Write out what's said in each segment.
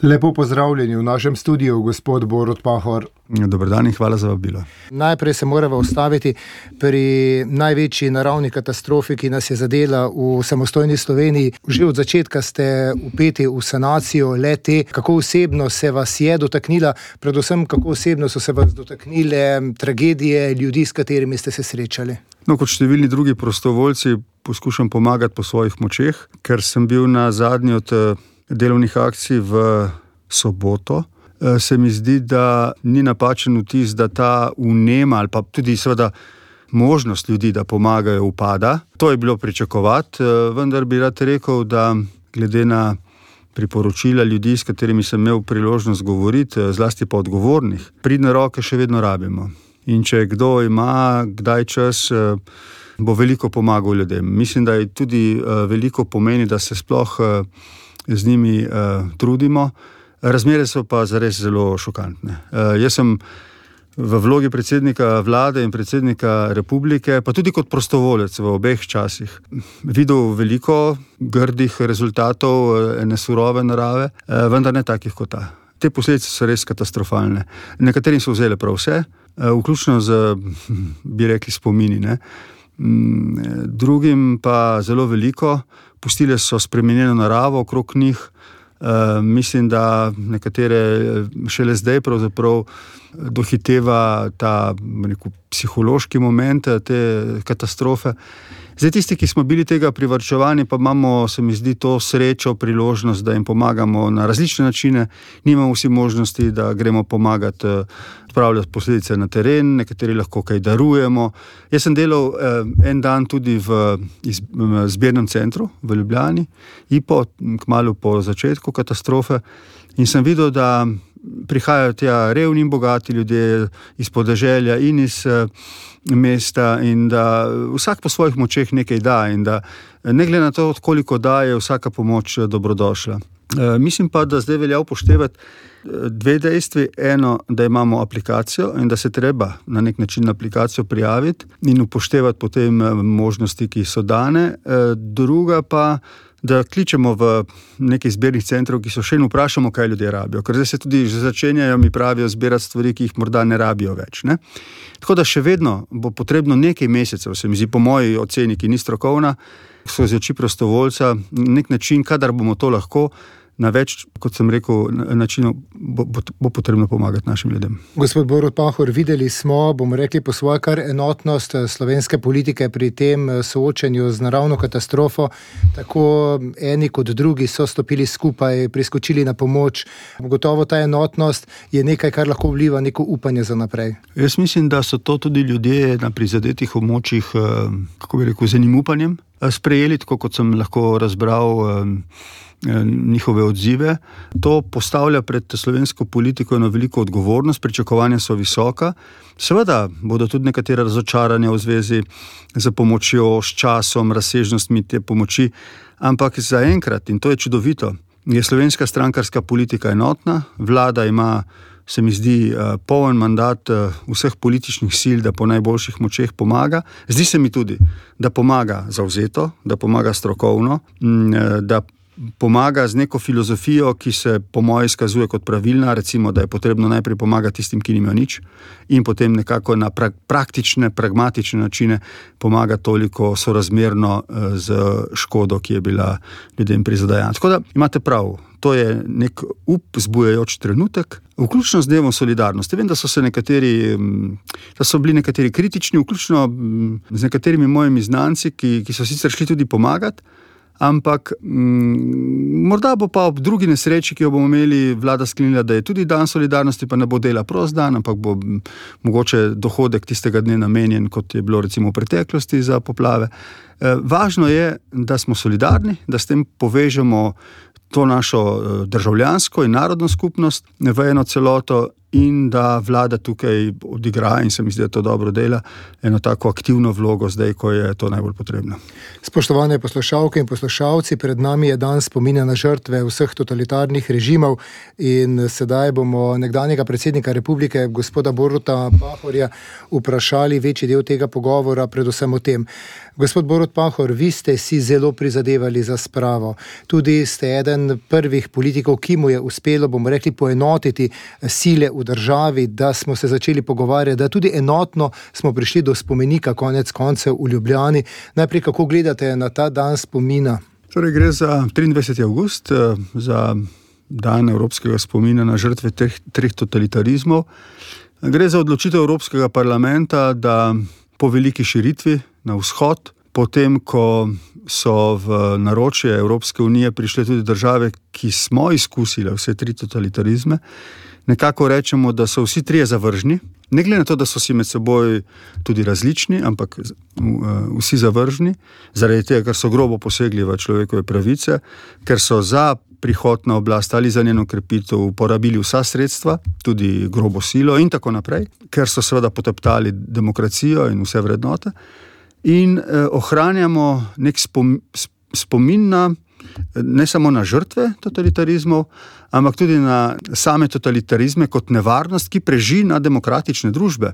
Lepo pozdravljeni v našem studiu, gospod Borut Pahor. Dober dan in hvala za vabilo. Najprej se moramo ustaviti pri največji naravni katastrofi, ki nas je zadela v samostojni Sloveniji. Že od začetka ste vpeti v sanacijo le-te. Kako osebno se vas je dotaknila, predvsem kako osebno so se vas dotaknile tragedije ljudi, s katerimi ste se srečali? Kot številni drugi prostovoljci poskušam pomagati po svojih močeh, ker sem bil na zadnji od delovnih akcij v soboto. Se mi zdi, da ni napačen vtis, da ta vnema ali pa tudi seveda možnost ljudi, da pomagajo, upada. To je bilo pričakovati, vendar bi rad rekel, da glede na priporočila ljudi, s katerimi sem imel priložnost govoriti, zlasti pa odgovornih, pridne roke še vedno rabimo. In če kdo ima kdaj čas, bo veliko pomagal ljudem. Mislim, da je tudi veliko pomeni, da se sploh z njimi trudimo. Razmere so pa zares zelo šokantne. Jaz sem v vlogi predsednika vlade in predsednika republike, pa tudi kot prostovolec v obeh časih, videl veliko grdih rezultatov ene surove narave, vendar ne takih kot ta. Te posledice so res katastrofalne. Nekaterim so vzele prav vse, vključno z, bi rekli, spomini, ne. Drugim pa zelo veliko, pustile so spremenjeno naravo okrog njih. Mislim, da nekatere šele zdaj pravzaprav dohiteva ta psihološki moment te katastrofe. Zdaj tisti, ki smo bili tega privarčevani, pa imamo, se mi zdi, to srečo, priložnost, da jim pomagamo na različne načine. Nimamo vsi možnosti, da gremo pomagati odpravljati posledice na teren, nekateri lahko kaj darujemo. Jaz sem delal en dan tudi v zbirnem centru v Ljubljani, kmalu po začetku katastrofe, in sem videl, da prihajajo tja revni in bogati ljudje iz podeželja in iz mesta in da vsak po svojih močeh nekaj da in da ne glede na to, koliko da, je vsaka pomoč dobrodošla. Mislim pa, da zdaj velja upoštevati dve dejstvi. Eno, da imamo aplikacijo in da se treba na nek način na aplikacijo prijaviti in upoštevati potem možnosti, ki so dane. Druga pa, da kličemo v nekaj zbirnih centrov, ki so še in vprašamo, kaj ljudje rabijo. Ker zdaj se tudi že začenjajo, mi pravijo, zbirati stvari, ki jih morda ne rabijo več, ne? Tako da še vedno bo potrebno nekaj mesecev, se mi zdi, po moji oceni, ki ni strokovna, skozi oči prostovoljca, nek način, kadar bomo to lahko, na več, kot sem rekel, načinov bo potrebno pomagati našim ljudem. Gospod Borut Pahor, videli smo, bomo rekli po svoje, kar enotnost slovenske politike pri tem soočenju z naravno katastrofo. Tako eni kot drugi so stopili skupaj, priskočili na pomoč. Gotovo ta enotnost je nekaj, kar lahko vliva neko upanje za naprej. Jaz mislim, da so to tudi ljudje na prizadetih območjih, kako bi rekel, z enim upanjem sprejeli, tako kot sem lahko razbral njihove odzive. To postavlja pred slovensko politiko eno veliko odgovornost, pričakovanja so visoka. Seveda bodo tudi nekatere razočaranja v zvezi z pomočjo, s časom, razsežnostmi te pomoči, ampak zaenkrat, in to je čudovito, je slovenska strankarska politika enotna, vlada ima, se mi zdi, poln mandat vseh političnih sil, da po najboljših močeh pomaga. Zdi se mi tudi, da pomaga zavzeto, da pomaga strokovno, da pomaga z neko filozofijo, ki se po moji izkazuje kot pravilna, recimo, da je potrebno najprej pomagati tistim, ki nimajo nič, in potem nekako na praktične, pragmatične načine pomaga toliko sorazmerno z škodo, ki je bila ljudem prizadejana. Tako da imate prav, to je nek zbujajoč trenutek, vključno z dnevom solidarnosti. Vem, da so bili nekateri kritični, vključno z nekaterimi mojimi znanci, ki so sicer šli tudi pomagati, ampak morda bo pa ob drugi nesreči, ki jo bomo imeli, vlada sklenila, da je tudi dan solidarnosti, pa ne bo dela prost dan, ampak bo mogoče dohodek tistega dne namenjen, kot je bilo recimo v preteklosti za poplave. Važno je, da smo solidarni, da s tem povežemo to našo državljansko in narodno skupnost v eno celoto in da vlada tukaj odigra, in se mi zdi, da to dobro dela, eno tako aktivno vlogo zdaj, ko je to najbolj potrebno. Spoštovane poslušalke in poslušalci, pred nami je dan spomina na žrtve vseh totalitarnih režimov in sedaj bomo nekdanjega predsednika republike, gospoda Boruta Pahorja, vprašali večji del tega pogovora, predvsem o tem. Gospod Borut Pahor, vi ste si zelo prizadevali za spravo. Tudi ste eden prvih politikov, ki mu je uspelo, bomo rekli, poenotiti sile v državi, da smo se začeli pogovarjati, da tudi enotno smo prišli do spomenika konec koncev v Ljubljani. Najprej, kako gledate na ta dan spomina? Torej, gre za 23. avgust, za dan evropskega spomina na žrtve treh totalitarizmov. Gre za odločitev Evropskega parlamenta, da po veliki širitvi na vzhod, potem, ko so v naročje Evropske unije prišle tudi države, ki smo izkusile vse tri totalitarizme, nekako rečemo, da so vsi trije zavržni, ne glede na to, da so si med seboj tudi različni, ampak vsi zavržni, zaradi tega, ker so grobo posegli v človekove pravice, ker so za prihod na oblast ali za njeno krepitev uporabili vsa sredstva, tudi grobo silo in tako naprej, ker so seveda poteptali demokracijo in vse vrednote. In ohranjamo nek spomin na, ne samo na žrtve totalitarizmov, ampak tudi na same totalitarizme kot nevarnost, ki preži na demokratične družbe.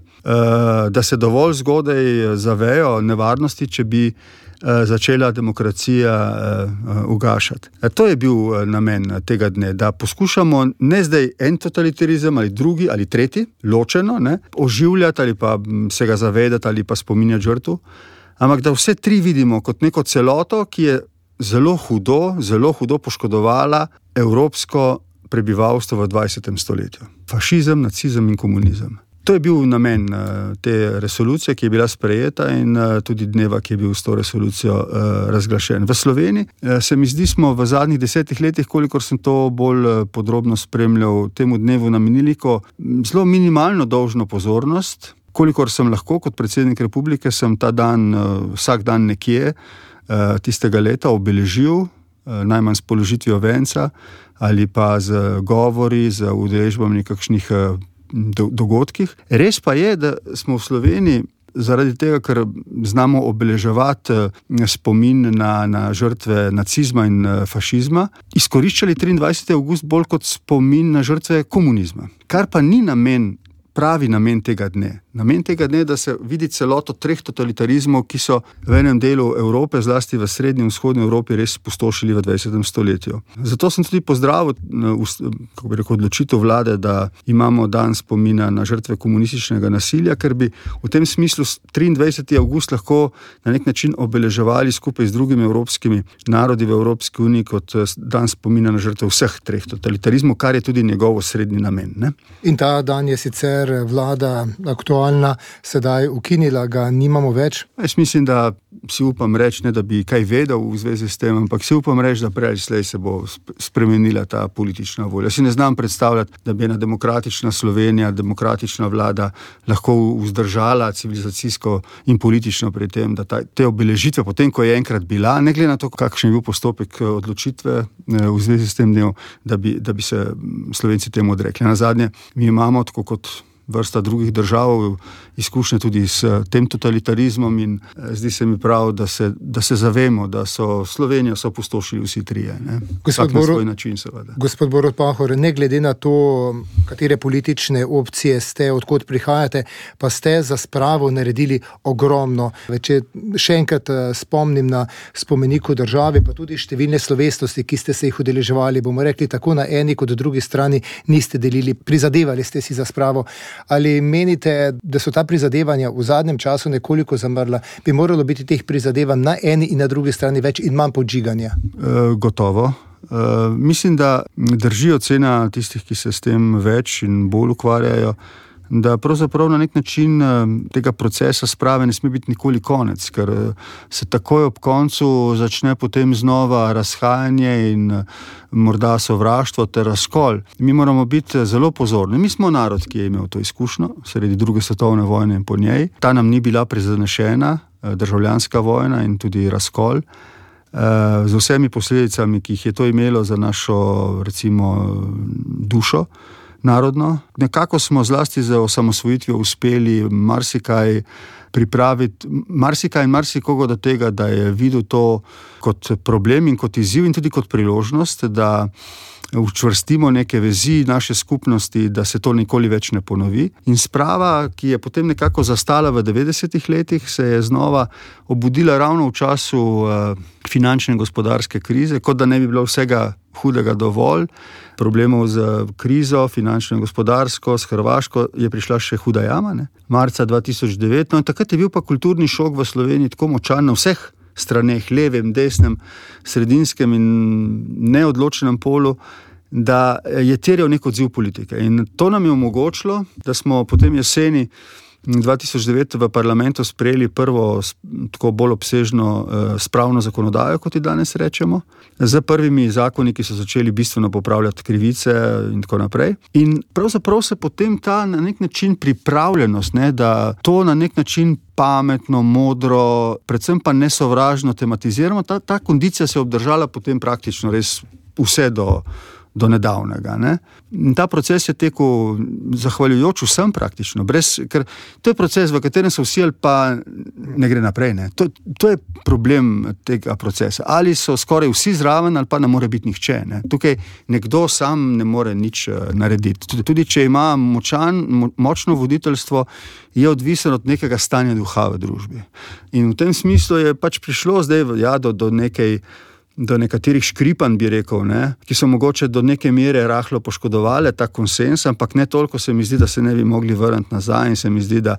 Da se dovolj zgodaj zavejo nevarnosti, če bi začela demokracija ugašati. To je bil namen tega dne, da poskušamo ne zdaj en totalitarizem ali drugi ali tretji, ločeno, oživljati ali pa se ga zavedati ali pa spominjati žrtv, ampak da vse tri vidimo kot neko celoto, ki je zelo hudo poškodovala evropsko prebivalstvo v 20. stoletju. Fašizem, nacizem in komunizem. To je bil namen te resolucije, ki je bila sprejeta, in tudi dneva, ki je bil s to resolucijo razglašen. V Sloveniji se mi zdi, smo v zadnjih 10 letih, kolikor sem to bolj podrobno spremljal, temu dnevu namenili zelo minimalno dolžno pozornost. Kolikor sem lahko kot predsednik republike, sem ta dan, vsak dan nekje tistega leta obeležil, najmanj s položitvijo venca ali pa z govori, z udeležbami nekakšnih dogodkih. Res pa je, da smo v Sloveniji zaradi tega, ker znamo obeleževati spomin na žrtve nacizma in fašizma, izkoriščali 23. avgust bolj kot spomin na žrtve komunizma. Kar pa ni pravi namen tega dne. Namen tega dne je, da se vidi celoto treh totalitarizmov, ki so v enem delu Evrope, zlasti v srednji in vzhodni Evropi, res pustošili v 20. stoletju. Zato sem tudi pozdravil odločitev vlade, da imamo dan spomina na žrtve komunističnega nasilja, ker bi v tem smislu 23. avgust lahko na nek način obeleževali skupaj z drugimi evropskimi narodi v Evropski uniji kot dan spomina na žrtve vseh treh totalitarizmov, kar je tudi njegov osrednji namen. Ne? In ta dan je sicer vlada aktualna, sedaj ukinila, ga nimamo več? Jaz mislim, da si upam reči, ne da bi kaj vedel v zvezi s tem, ampak si upam reči, da prej ali slej se bo spremenila ta politična volja. Si ne znam predstavljati, da bi ena demokratična Slovenija, demokratična vlada lahko vzdržala civilizacijsko in politično pri tem, da te obeležitve, potem ko je enkrat bila, ne glede na to, kakšen je bil postopek odločitve v zvezi s tem dnem, da bi se Slovenci temu odrekli. Nazadnje, mi imamo, tako kot vrsta drugih držav, izkušnje tudi s tem totalitarizmom in zdi se mi prav, da se zavemo, da so Slovenijo opustošili vsi trije. Vsak na svoj način, seveda. Gospod Borut Pahor, ne glede na to, katere politične opcije ste, odkot prihajate, pa ste za spravo naredili ogromno. Če še enkrat spomnim na spomeniku države, pa tudi številne slovesnosti, ki ste se jih udeleževali, bomo rekli, tako na eni kot drugi strani niste delili, prizadevali ste si za spravo. Ali menite, da so ta prizadevanja v zadnjem času nekoliko zamrla? Bi moralo biti teh prizadevanj na eni in na drugi strani več in manj podžiganja? Gotovo. Mislim, da drži ocena tistih, ki se s tem več in bolj ukvarjajo, da pravzaprav na nek način tega procesa sprave ne sme biti nikoli konec, ker se takoj ob koncu začne potem znova razhajanje in morda sovraštvo ter razkol. Mi moramo biti zelo pozorni. Mi smo narod, ki je imel to izkušnjo sredi druge svetovne vojne in po njej. Ta nam ni bila prizanešena, državljanska vojna in tudi razkol, z vsemi posledicami, ki jih je to imelo za našo, recimo, dušo. narodno. Nekako smo zlasti za osamosvojitvijo uspeli marsikaj pripraviti, marsikaj in marsikoga do tega, da je videl to kot problem in kot izziv in tudi kot priložnost, da učvrstimo neke vezi naše skupnosti, da se to nikoli več ne ponovi. In sprava, ki je potem nekako zastala v 90-ih letih, se je znova obudila ravno v času finančne in gospodarske krize, kot da ne bi bilo vsega hudega dovolj. Problemov z krizo, finančno in gospodarsko, s Hrvaško je prišla še huda jama, marca 2009. No in takrat je bil pa kulturni šok v Sloveniji tako močan na vseh straneh, levem, desnem, sredinskem in neodločenem polu, da je terjal nek odziv politike. In to nam je omogočilo, da smo potem jeseni 2009 v parlamentu sprejeli prvo tako bolj obsežno spravno zakonodajo, kot ji danes rečemo, z prvimi zakoni, ki so začeli bistveno popravljati krivice in tako naprej. In pravzaprav se potem ta na nek način pripravljenost, da to na nek način pametno, modro, predvsem pa nesovražno tematiziramo, ta kondicija se je obdržala potem praktično res vse do nedavnega. In ta proces je tekel zahvaljujoč vsem praktično, ker to je proces, v katerem so vsi ali pa ne gre naprej. To je problem tega procesa. Ali so skoraj vsi zraven, ali pa ne more biti nihče. Tukaj nekdo sam ne more nič narediti. Tudi če ima močno voditeljstvo, je odvisen od nekega stanja duha v družbi. In v tem smislu je pač prišlo zdaj do nekaterih škripanj, bi rekel, ki so mogoče do neke mere rahlo poškodovali ta konsens, ampak ne toliko se mi zdi, da se ne bi mogli vrniti nazaj in se mi zdi, da,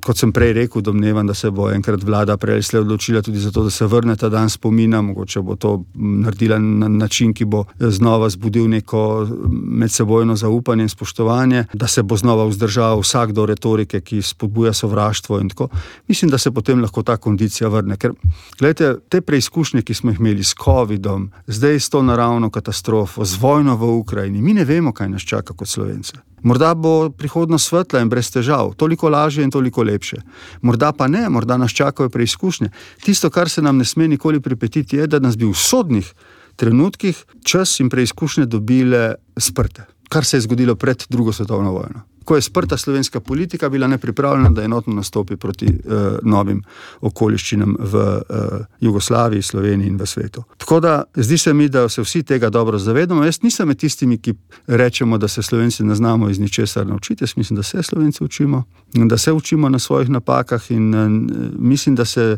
kot sem prej rekel, domnevam, da se bo enkrat vlada prej slej odločila tudi za to, da se vrne ta dan spomina, mogoče bo to naredila na način, ki bo znova zbudil neko medsebojno zaupanje in spoštovanje, da se bo znova vzdržal vsak do retorike, ki spodbuja sovraštvo in tako. Mislim, da se potem lahko ta kondicija vrne, ker, gledajte, te preizkušnje, ki smo jih imeli s Covidom, zdaj s to naravno katastrofo, z vojno v Ukrajini. Mi ne vemo, kaj nas čaka kot Slovence. Morda bo prihodnost svetla in brez težav, toliko lažje in toliko lepše. Morda pa ne, morda nas čakajo preizkušnje. Tisto, kar se nam ne sme nikoli pripetiti, je, da nas bi v sodnih trenutkih čas in preizkušnje dobile sprte. Kar se je zgodilo pred drugo svetovno vojno. Ko je sprta slovenska politika bila nepripravljena, da enotno nastopi proti novim okoliščinam v Jugoslaviji, Sloveniji in v svetu. Tako da zdi se mi, da se vsi tega dobro zavedamo. Jaz nisem med tistimi, ki rečemo, da se Slovenci ne znamo iz ničesar naučiti. Jaz mislim, da se Slovenci učimo, da se učimo na svojih napakah in mislim, da se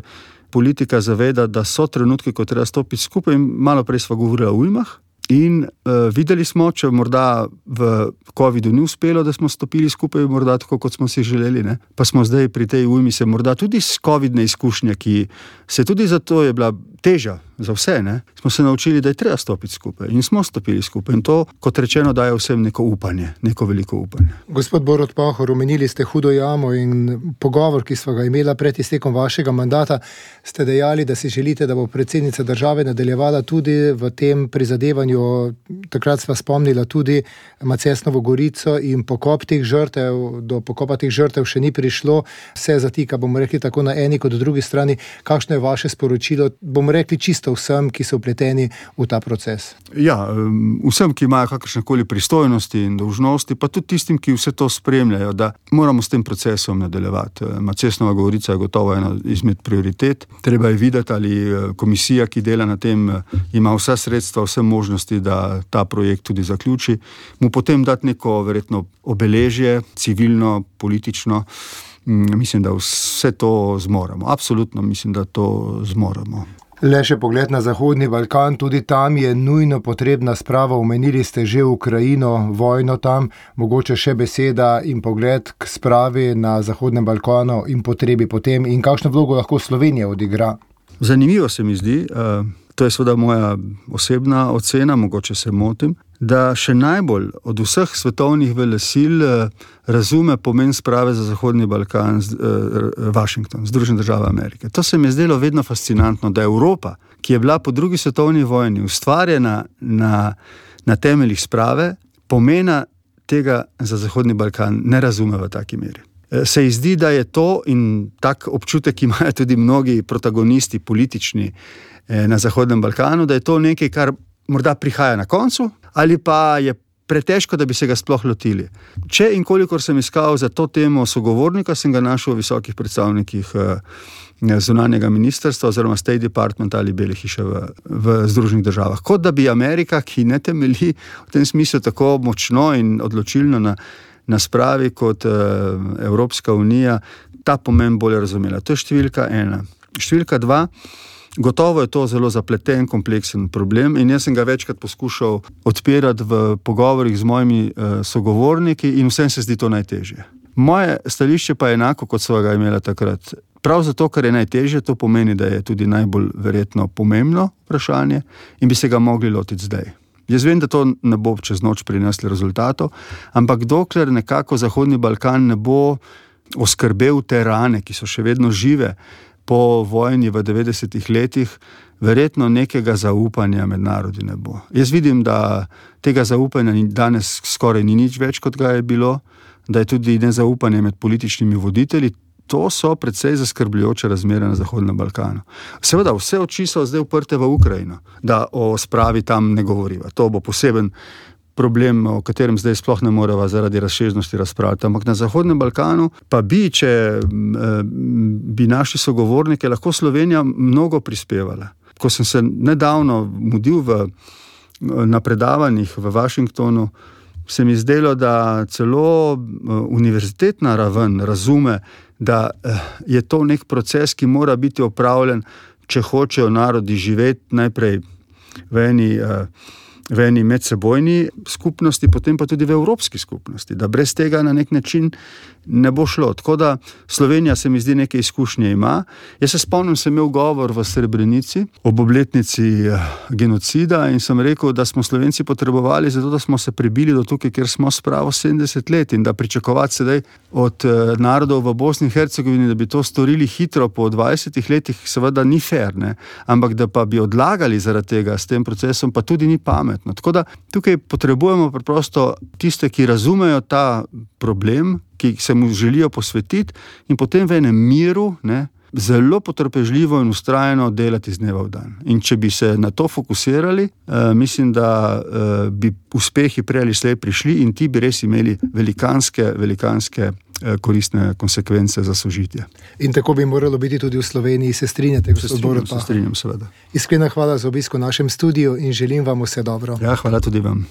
politika zaveda, da so trenutki, ko treba stopiti skupaj. In malo prej sva govorila o ujmah. In videli smo, če morda v Covidu ni uspelo, da smo stopili skupaj, morda tako, kot smo si želeli, pa smo zdaj pri tej ujmi se morda tudi s covidne izkušnje, ki se tudi zato je bila teža za vse, smo se naučili, da je treba stopiti skupaj in smo stopili skupaj in to, kot rečeno, daje vsem neko upanje, neko veliko upanje. Gospod Borut Pahor, omenili ste hudo jamo in pogovor, ki sva ga imela pred iztekom vašega mandata, ste dejali, da si želite, da bo predsednica države nadaljevala tudi v tem prizadevanju. Takrat sva spomnila tudi Macesnovo Gorico in pokop teh žrtev, do pokopa teh žrtev še ni prišlo, vse zatika, bomo rekli, tako na eni kot drugi strani. Kakšno je vaše sporočilo, bomo rekli, čisto vsem, ki so vpleteni v ta proces? Ja, vsem, ki imajo kakršnekoli pristojnosti in dolžnosti, pa tudi tistim, ki vse to spremljajo, da moramo s tem procesom nadaljevati. Macesnova Gorica je gotovo ena izmed prioritet. Treba je videti, ali komisija, ki dela na tem, ima vsa sredstva, vse možnosti, da ta projekt tudi zaključi. Mu potem dati neko verjetno obeležje, civilno, politično. Mislim, da vse to zmoremo. Absolutno mislim, da to zmoremo. Le še pogled na Zahodni Balkan, tudi tam je nujno potrebna sprava. Omenili ste že Ukrajino, vojno tam, mogoče še beseda in pogled k spravi na Zahodnem Balkanu in potrebi potem in kakšno vlogo lahko Slovenija odigra. Zanimivo se mi zdi, to je seveda moja osebna ocena, mogoče se motim, da še najbolj od vseh svetovnih velesil razume pomen sprave za Zahodni Balkan Washington, Združene države Amerike. To se mi je zdelo vedno fascinantno, da Evropa, ki je bila po drugi svetovni vojni ustvarjena na temeljih sprave, pomena tega za Zahodni Balkan ne razume v taki meri. Se ji zdi, da je to in tak občutek imajo tudi mnogi protagonisti politični na Zahodnem Balkanu, da je to nekaj, kar morda prihaja na koncu, ali pa je pretežko, da bi se ga sploh lotili. Če in kolikor sem iskal za to temo sogovornika, sem ga našel v visokih predstavnikih zunanjega ministrstva oziroma State Department ali Bele hiše v Združenih državah. Kot da bi Amerika, ki ne temelji v tem smislu tako močno in odločilno na spravi kot Evropska unija, ta pomen bolje razumela. To je številka 1. Številka 2. Gotovo je to zelo zapleten, kompleksen problem in jaz sem ga večkrat poskušal odpirati v pogovorih z mojimi sogovorniki in vsem se zdi to najtežje. Moje stališče pa je enako, kot so ga imela takrat. Prav zato, ker je najtežje, to pomeni, da je tudi najbolj verjetno pomembno vprašanje in bi se ga mogli lotiti zdaj. Jaz vem, da to ne bo čez noč prineslo rezultatov, ampak dokler nekako Zahodni Balkan ne bo oskrbel te rane, ki so še vedno žive, po vojni v 90. letih, verjetno nekega zaupanja med narodi ne bo. Jaz vidim, da tega zaupanja danes skoraj ni nič več, kot ga je bilo, da je tudi nezaupanje med političnimi voditelji. To so precej zaskrbljujoče razmere na Zahodnem Balkanu. Seveda, vse oči so zdaj uprte v Ukrajino, da o spravi tam ne govoriva. To bo poseben problem, o katerem zdaj sploh ne moreva zaradi razsežnosti razpravljati. Ampak na Zahodnem Balkanu pa če bi naši sogovornike, lahko Slovenija mnogo prispevala. Ko sem se nedavno mudil na predavanjih v Washingtonu, se mi zdelo, da celo univerzitetna raven razume, da je to nek proces, ki mora biti opravljen, če hočejo narodi živeti najprej v eni medsebojni skupnosti, potem pa tudi v evropski skupnosti, da brez tega na nek način ne bo šlo. Tako da Slovenija se mi zdi neke izkušnje ima. Jaz se spomnim, sem imel govor v Srebrenici ob obletnici genocida in sem rekel, da smo Slovenci potrebovali zato, da smo se prebili do tukaj, kjer smo spravo 70 let in da pričakovati sedaj od narodov v Bosni in Hercegovini, da bi to storili hitro po 20 letih, seveda ni fair, ne? Ampak da pa bi odlagali zaradi tega s tem procesom, pa tudi ni pametno. Tako da tukaj potrebujemo preprosto tiste, ki razumejo ta problem, ki se mu želijo posvetiti in potem v enem miru, ne, zelo potrpežljivo in vztrajno delati iz dneva v dan. In če bi se na to fokusirali, mislim, da bi uspehi prej ali slej prišli in ti bi res imeli velikanske koristne konsekvence za sožitje. In tako bi moralo biti tudi v Sloveniji. Se strinjate, gospod Borut? Se strinjam, seveda. Iskrena hvala za obisk v našem studiu in želim vam vse dobro. Ja, hvala tudi vam.